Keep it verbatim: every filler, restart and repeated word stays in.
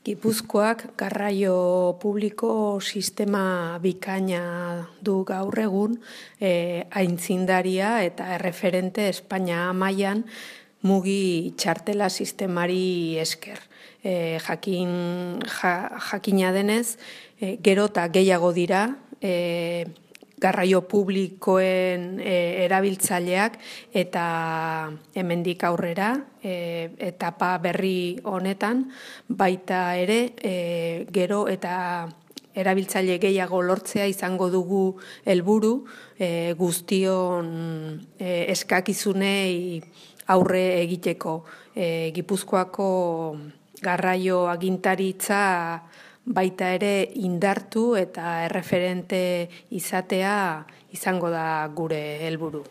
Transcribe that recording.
Gipuzkoak garraio publiko sistema bikaina du gaur egun, e, aintzindaria eta erreferente Espainia mailan mugi txartela sistemari esker. E, jakin, ja, jakina denez, e, gero eta gehiago dira, e, garraio publikoen e, erabiltzaileak eta hemendik aurrera e, etapa berri honetan baita ere e, gero eta erabiltzaile gehiago lortzea izango dugu helburu e, guztion e, eskakizunei aurre egiteko. E, Gipuzkoako garraio agintaritza baita ere indartu eta erreferente izatea izango da gure helburu.